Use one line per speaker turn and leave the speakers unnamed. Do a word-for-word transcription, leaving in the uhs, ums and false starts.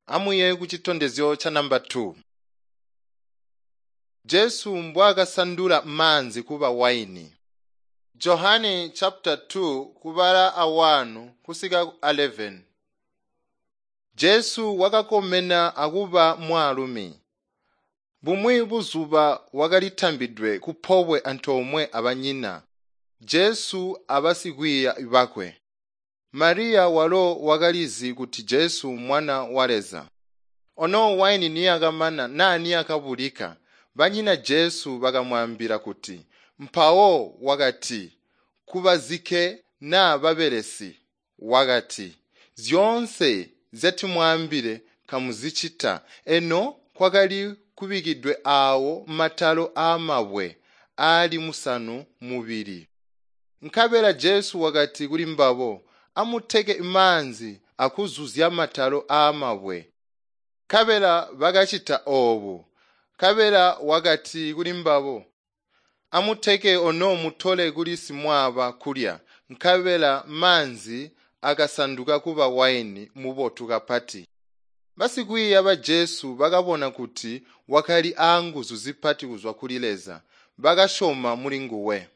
Amwiiye kucitondezyo ca namba two. Jesu mbwaakasandula maanzi kuba waini. Johane chapter two kubala a one kusika ku eleven. Jesu wakakomena akuba mwaalumi. Bumwi buzuba wakalitambidwe kupobwe antoomwe abanyina, Jesu abasikwiiya bakwe. Mariya walo wakalizi kuti Jesu mwana wa Leza. Ono waini niyakamana naa niyakabulika, banyina Jesu bakamwaambila kuti, mpawo wakati kubazike naa babelesi, wakati, zyoonse nzyatimwaambile kamuzicita. Eno kwakali kubikidwe aawo matalo aamabwe aali musanu mubili. Nkabela Jesu wakati kulimbabo, amuteke maanzi akuzuzya matalo aamabwe. Nkabela bakacita oobu. Nkabela wakati kulimbabo, amuteke ono mutole kuli simwaaba kulya. Nkabela maanzi akasanduka kuba waini mubotu kapati. Basikwiiya ba Jesu bakabona kuti wakali aanguzu zipati kuzwa kuli Leza, bakasyoma mulinguwe.